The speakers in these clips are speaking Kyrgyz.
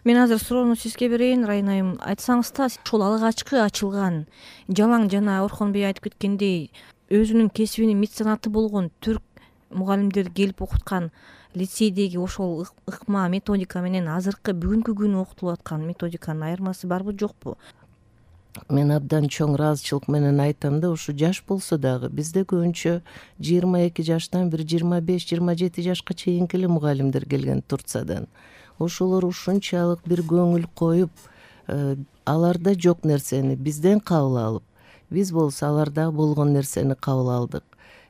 Мен азыр суроону сизге берейин, Райна айым. Айтсаңыз да, ушул алгачкы ачылган жалаң жана Орхонбей айтып кеткендей өзүнүн кесибинин меценаты болгон түрк мугалимдер келип окуткан лицейдеги ошол ыкма методика менен азыркы бүгүнкү күнү окутулуп аткан методиканын айырмасы барбы жокпу? Мен абдан чоң ыраазычылык менен айтам да, ушу жаш болсо дагы бизде көбүнчө 22 жаштан бир 25-27 жашка чейинки эле мугалимдер келген Турциядан. Ошолор ушунчалык бир көңүл коюп, аларда жок нерсени бизден кабыл алып, биз болсо аларда болгон нерсени кабыл алдык.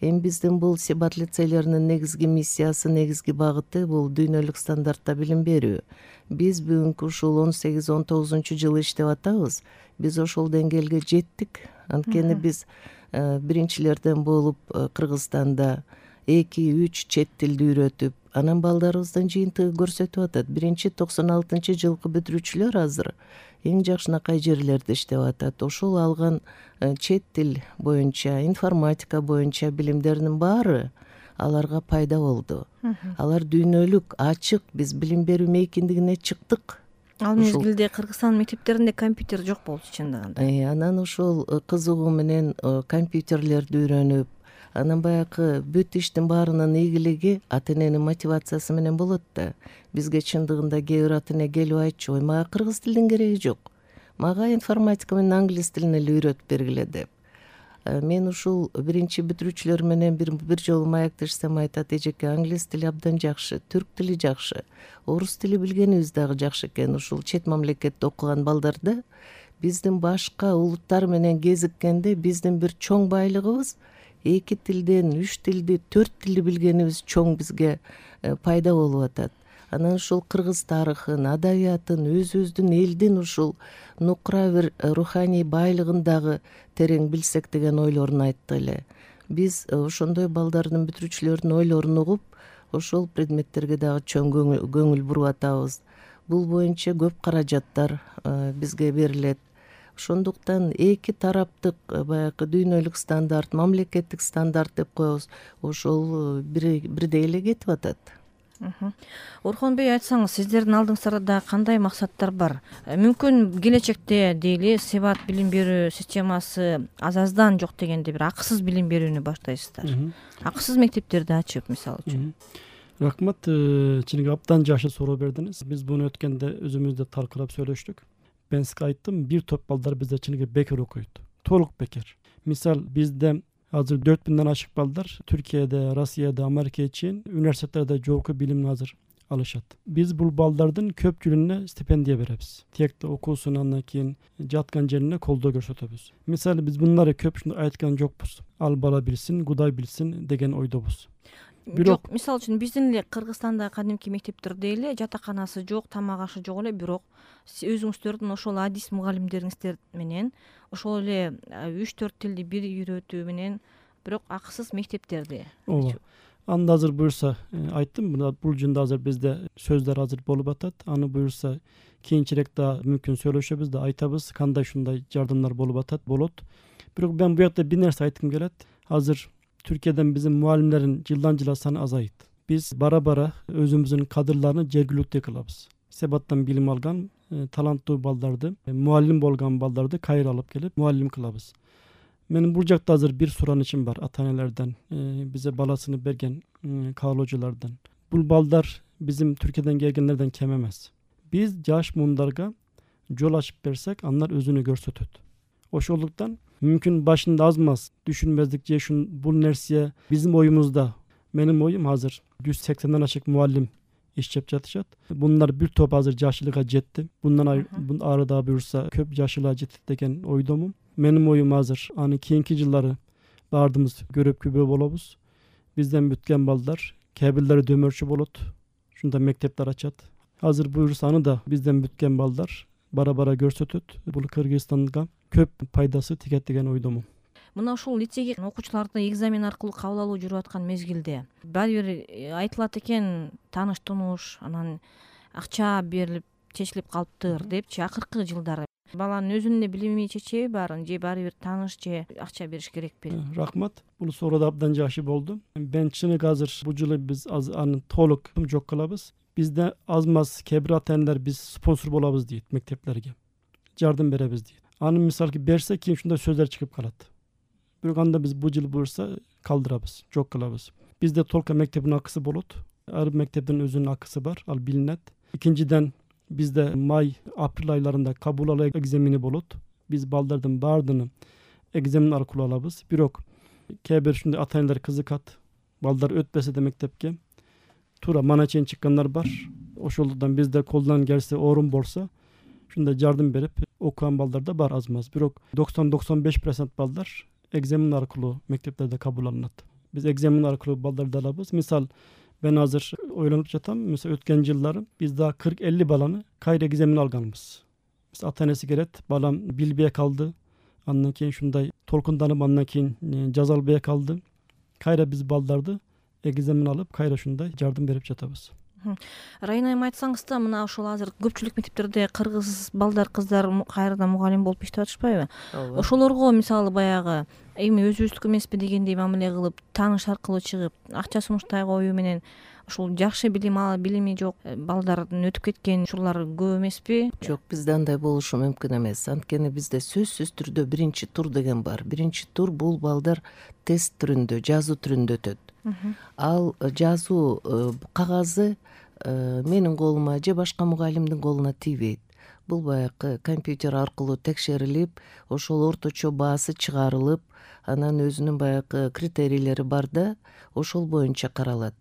Эми биздин бул Себат лицейлеринин негизги миссиясы, негизги багыты бул дүйнөлүк стандартта билим берүү. Биз бүгүнкү ушул 18-19 иштеп атабыз. Биз ошол деңгээлге жеттик. Анткени биз биринчилерден болуп Кыргызстанда 2-3 чет тилди үйрөтүп, анан балдарыбыздын жыйынтыгы көрсөтүп атат. Биринчи 96-жылкы бүтүрүүчүлөр азыр эң жакшынакай жерлерде иштеп атат. Ошол алган чет тил боюнча, информатика боюнча билимдеринин баары аларга пайда болду. Алар дүйнөлүк, ачык, биз билим берүү мейкиндигине чыктык. Ал мезгилде Кыргызстан мектептеринде компьютер жок болчу чындыгында. Анан ошол кызыгуу менен компьютерлерди үйрөнүп, анан баягы бүт иштин баарынын ийгилиги ата эненин мотивациясы менен болот да. Бизге чындыгында кээ бир ата эне келип айтчу, ой, мага кыргыз тилдин кереги жок. Мага информатика менен англис тилин эле үйрөтүп бергиле деп. Мен ушул биринчи бүтүрүүчүлөр менен бир жолу маектешсем айтат, эжеке, англис тили абдан жакшы, түрк тили жакшы, орус тили билгенибиз дагы жакшы экен. Ушул чет мамлекетте окуган балдарда биздин башка улуттар менен кезиккенде биздин бир чоң байлыгыбыз 2 тилден 3 тилди, 4 тилди билгенибиз чоң бизге пайда болуп атат. Анан ушул кыргыз тарыхын, адабиятын, өзүбүздүн элдин ушул нукура бир руханий байлыгын дагы терең билсек деген ойлорун айтты эле. Биз ошондой балдардын, бүтүрүүчүлөрдүн ойлорун угуп, ошол предметтерге дагы чоң көңүл буруп атабыз. Бул боюнча көп каражаттар бизге берилет. Ошондуктан эки тараптык баягы дүйнөлүк стандарт, мамлекеттик стандарт деп коебуз. Ошол бирдей эле кетип атат. Орхонбей, айтсаңыз, сиздердин алдыңыздарда да кандай максаттар бар? Мүмкүн келечекте дейли Себат билим берүү системасы аздан жок дегенде бир акысыз билим берүүнү баштайсыздар. Акысыз мектептерди ачып, мисалы үчүн. Рахмат, чыныгы абдан жакшы суроо бердиңиз. Биз буну өткөндө өзүбүздө талкуулап сөйлөштүк. Мен сизге айттым, бир топ балдар бизде чыныгы бекер окуйт. Толук бекер. Мисал, бизде азыр 4000ден ашык балдар Түркияда, Россияда, Америкага чейин университеттерде жогорку билимди азыр алышат. Биз бул балдардын көпчүлүгүнө стипендия беребиз. Тиекте окуусун, андан кийин жаткан жерине колдоо көрсөтөбүз. Мисалы, биз мындары көпчүлүк айткан жокпуз. Ал бала билсин, Кудай билсин деген ойдобуз. Жок, мисалы үчүн биздин эле Кыргызстанда кадимки мектептерде эле жатаканасы жок, тамак ашы жок эле, бирок өзүңүздөрдүн ошол адис мугалимдериңиздер менен ошол эле 3-4 тилди бир үйрөтүү менен бирок акысыз мектептерди. Ооба. Анда азыр буюрса айттым, бул жөнүндө азыр бизде сөздөр азыр болуп атат. Аны буюрса кийинчерээк да мүмкүн сүйлөшөбүз да, айтабыз кандай ушундай жардамдар болуп атат, болот. Бирок мен бу жакта бир нерсе айткым келет. Азыр Түркиядан биздин мугалимдердин жылдан жылга саны азайт. Биз бара-бара өзүбүздүн кадрларны жергиликтүү кылабыз. Себаттан билим алган таланттуу балдарды, мугалим болгон балдарды кайра алып келип мугалим кылабыз. Менин бул жакта азыр бир суранычым бар ата-энелерден, бизе баласыны берген каалоочулардан. Бул балдар биздин Түркиядан келгендерден кем эмес. Биз жаш муундарга жол ачып берсек, андар өзүнү көрсөтөт. Ошондуктан мүмкүн башында азмаз түшүнбөздүк же бул нерсе биздин оюмузда. Менин оюм азыр 180ден ашык мугалим иштеп жатышат. Bunlar bir топ азыр жашылыга жетти. Bundan ары да буюрса көп жашылыга жетет деген ойдомун. Менин оюм азыр аны кийинки жылдары баардыгыбыз көрүп күбө болобуз. Бизден бүткөн балдар кээ бирлери дөмөрчү болот. Ушунда мектептер ачат. Азыр буюрса аны да бизден бүткөн балдар бара-бара көрсөтөт. Бул Кыргызстанга көп пайдасы тигет деген ойдомун. Мына ушул лицейге окуучуларды экзамен аркылуу кабыл алуу жүрүп аткан мезгилде баары бир айтылат экен, тааныш тунуш, анан акча берилип чечилип калыптыр депчи. Акыркы жылдары баланын өзүнүн билими чечеби баарын, же баары бир тааныш же акча бериш керекпи? Рахмат. Бул суроо да абдан жакшы болду. Мен чыныгы азыр бул жылы биз аны толук жок кылабыз. бизде аз маз кээ бир ата энелер биз спонсор болобуз дейт, мектептерге жардам беребиз дейт. Аны мисалки берсе кийин ушундай сөздөр чыгып калат. Бирок анда биз бул жыл буюрса калтырабыз, жок кылабыз. Бизде толка мектептин акысы болот. Ар мектептин өзүнүн акысы бар, ал билинет. Экинчиден бизде май, апрель айларында кабул алуу экзамени болот. Биз балдардын баардыгын экзамен аркылуу алабыз. Бирок кээ бир ушундай ата энелер кызыкат. Балдар өтпөсө да мектепке туура мана чейин чыккандар бар. Ошолордон бизде колдон келсе орун болсо ушундай жардам берип окуган балдар да бар аз маз. Бирок 90-95% балдар экзамен аркылуу мектептерде кабыл алынат. Биз экзамен аркылуу балдарды алабыз. Мисал мен азыр ойлонуп жатам. Мисал өткөн жылдары биз да 40-50 баланы кайра экзамен алганбыз. Биз ата энеси келет, балам билбей калды. Андан кийин ушундай толкунданып, андан кийин жаза албай калды. Кайра биз балдарды экзамен алып, кайра ушундай жардам берип жатабыз. Райна айым, айтсаңыз да, мына ошол азыр көпчүлүк мектептерде кыргыз балдар, кыздар кайрадан мугалим болуп иштеп атышпайбы? Ошолорго мисалы баягы эми өзүбүздүкү эмеспи дегендей мамиле кылып, тааныш аркылуу чыгып, акча сунуштай коюу менен ушул жакшы билим алып, билими жок балдардын өтүп кеткен ушулар көп эмеспи? Жок, бизде андай болушу мүмкүн эмес. Анткени бизде сөзсүз түрдө биринчи тур деген бар. Биринчи тур бул балдар тест түрүндө, жазуу түрүндө өтөт. Ал жазуу кагазы менин колума же башка мугалимдин колуна тийбейт. Бул баягы компьютер аркылуу текшерилип, ошол орточо баасы чыгарылып, анан өзүнүн баягы критерийлери бар да, ошол боюнча каралат.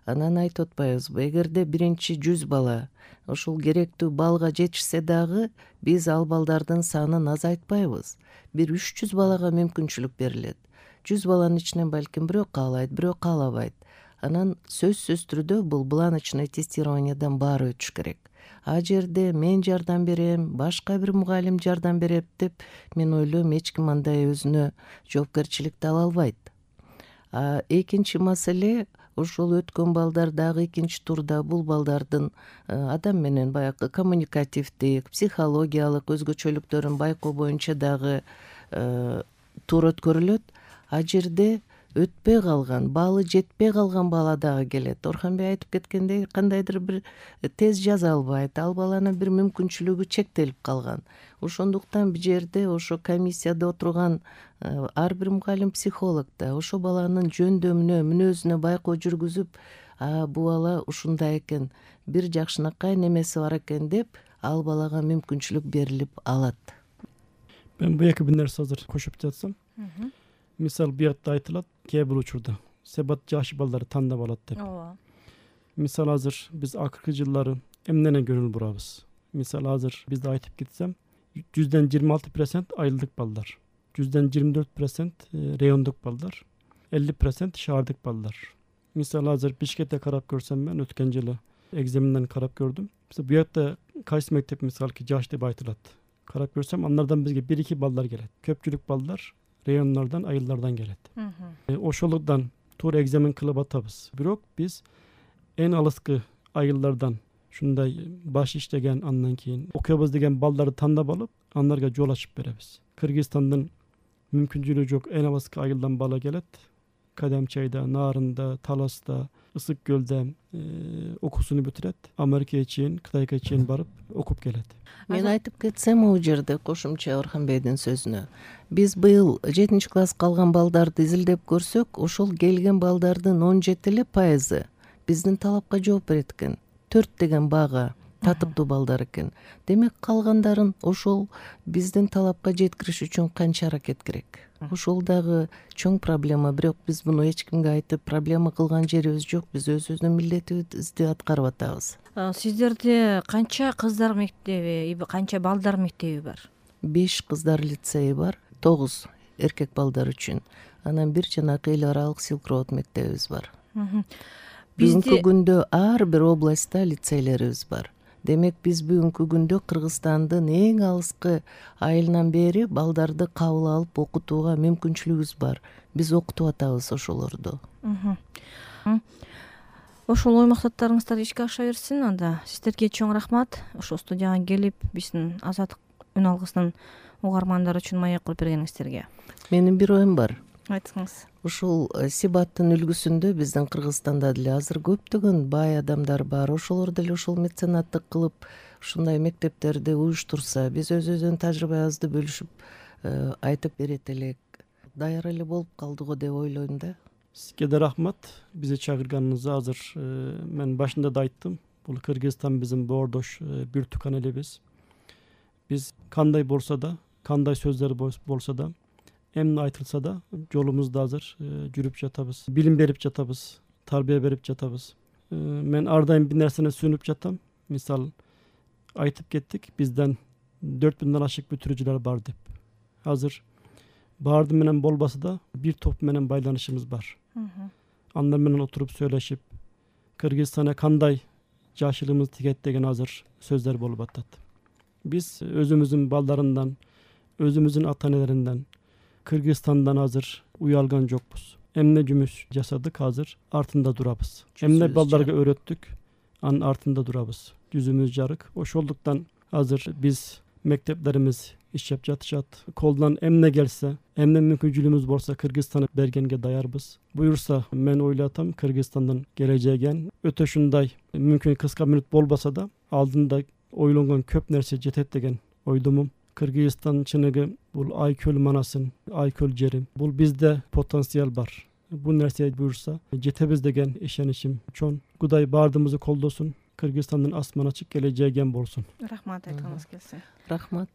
Анан айтып атпайбызбы, эгерде биринчи 100 бала ошол керектүү балга жетишсе дагы, биз ал балдардын санын азайтпайбыз. Бир 300 балага мүмкүнчүлүк берилет. 100 баланын ичинен балким бирөө каалайт, бирөө каалабайт. Анан сөзсүз түрдө бул бланочный тестированиядан баары өтүш керек. А жерде мен жардам берем, башка бир мугалим жардам берет деп, мен ойлойм, эч ким андай өзүнө жоопкерчиликти ала албайт. Экинчи маселе, ошол өткөн балдар дагы экинчи турда бул балдардын адам менен баягы коммуникативдик, психологиялык өзгөчөлүктөрүн байкоо боюнча дагы тур өткөрүлөт. А жерде өтпөй калган, баалы жетпей калган бала дагы келет. Орханбек айтып кеткендей, кандайдыр бир тез жаза албайт, ал баланын бир мүмкүнчүлүгү чектелип калган. Ошондуктан бул жерде ошо комиссияда отурган ар бир мугалим, психолог да ошо баланын жөндөмүнө, мүнөзүнө байкоо жүргүзүп, бул бала ушундай экен, бир жакшынакай немеси бар экен деп, ал балага мүмкүнчүлүк берилип алат. Мен бул эки бир нерсе азыр кошуп жатсам. Мисал буякта айтылат, кээ бир учурда себат жаш балдарды тандап алат деп. Мисал азыр биз акыркы жылдары эмнене көңүл бурабыз? Мисал азыр бизде айтып кетсем, 26% айылдык балдар, 24% райондук балдар, 50% шаардык балдар. Мисал азыр Бишкекте карап көрсөм, мен өткөн жылы экзаменден карап көрдүм. Мисал буякта кайсы мектеп мисалки жаш деп айтылат. Карап көрсөм, андардан бизге 1-2 балдар келет. Көпчүлүк балдар райондордон, айылдардан келет. Ошолордон туура экзамен кылып атабыз. Бирок биз эң алыскы айылдардан ушундай баш иштеген, андан кийин окуябыз деген балдарды тандап алып, андарга жол ачып беребиз. Кыргызстандын мүмкүнчүлүгү жок эң алыскы айылдан бала келет. Кадамчайда, Нарында, Таласта, Ысык көлдө окуусуну бүтүрөт. Америкага чейин, Кытайга чейин барып окуп келет. Мен айтып кетсем, бул жерде кошумча Орханбектин сөзүнө. Биз быйыл 7-класска алган балдарды изилдеп көрсөк, ошол келген балдардын 17% биздин талапка жооп берет экен. 4 деген баага татыктуу балдар экен. Демек калгандарын ошол биздин талапка жеткириш үчүн канча аракет керек. Ошол дагы чоң проблема, бирок биз муну эч кимге айтып проблема кылган жерибиз жок. Биз өзүбүздүн милдетибизди аткарып атабыз. Сиздерде канча кыздар мектеби, канча балдар мектеби бар? 5 кыздар лицейи бар, 9 эркек балдар үчүн. Анан бир жанакы эл аралык Силк-Роуд мектебибиз бар. Бүгүнкү күндө ар бир областта лицейлерибиз бар. Демек биз бүгүнкү күндө Кыргызстандын эң алыскы айылынан бери балдарды кабыл алып окутууга мүмкүнчүлүгүбүз бар. Биз окутуп атабыз ошолорду. Ошол ой максаттарыңыздар ишке аша берсин. Анда сиздерге чоң рахмат. Ошо студияга келип, биздин Азаттык үн алгысынын угармандары үчүн маек кылып бергениңиздерге. Менин бир оюм бар. Айтыңыз. Ушул сибаттын үлгүсүндө биздин Кыргызстанда деле азыр көптөгөн бай адамдар бар. Ошолор деле ушул меценаттык кылып ушундай мектептерди уюштурса, биз өзүбүздүн тажрыйбабызды бөлүшүп айтып берет элек. Даяр эле болуп калды го деп ойлойм да. Сизге да рахмат бизди чакырганыңызга. Азыр мен башында да айттым, бул Кыргызстан биздин боордош бир тукан элебиз. Биз кандай болсо да, кандай сөздөр болсо да, эмне айтылса да жолумузда азыр жүрүп жатабыз, билим берип жатабыз, тарбия берип жатабыз. Мен ар дайым бир нерсени сүйүнүп жатам. Мисалы айтып кеттик, бизден 4000ден ашык бүтүрүүчүлөр бар деп. Азыр баарды менен болбосо да бир топ менен байланышыбыз бар. Андар менен отуруп сүйлөшүп, Кыргызстана кандай жашылымыз тигет деген азыр сөздөр болуп атат. Биз өзүмүздүн балдарындан, өзүмүздүн ата энелеринен, Кыргызстандан азыр уялган жокпуз. Эмне жумуш жасадык, азыр артында турабыз. Эмне балдарга өйрөттүк, анын артында турабыз. Жүзүмүз жарык. Ошондуктан азыр биз мектептерибиз иштеп жатышат. Колдон эмне келсе, эмне мүмкүнчүлүгүбүз болсо Кыргызстана бергенге даярбыз. Буюрса, мен ойлотом, Кыргызстандын келечеги өтө ушундай мүмкүн кыска мүнөт болбосо да алдында ойлонгон көп нерсе жетет деген ойдомун. Кыргызстан чыныгы бул Айкөл манасын, Айкөл жери. Бул бизде потенциал бар. Бул нерсе буюрса жетебиз деген ишеничим чоң. Кудай баардыгыбызды колдосун. Кыргызстандын асман ачык келечеги болсун. Рахмат айтканыңыз келсе. Рахмат.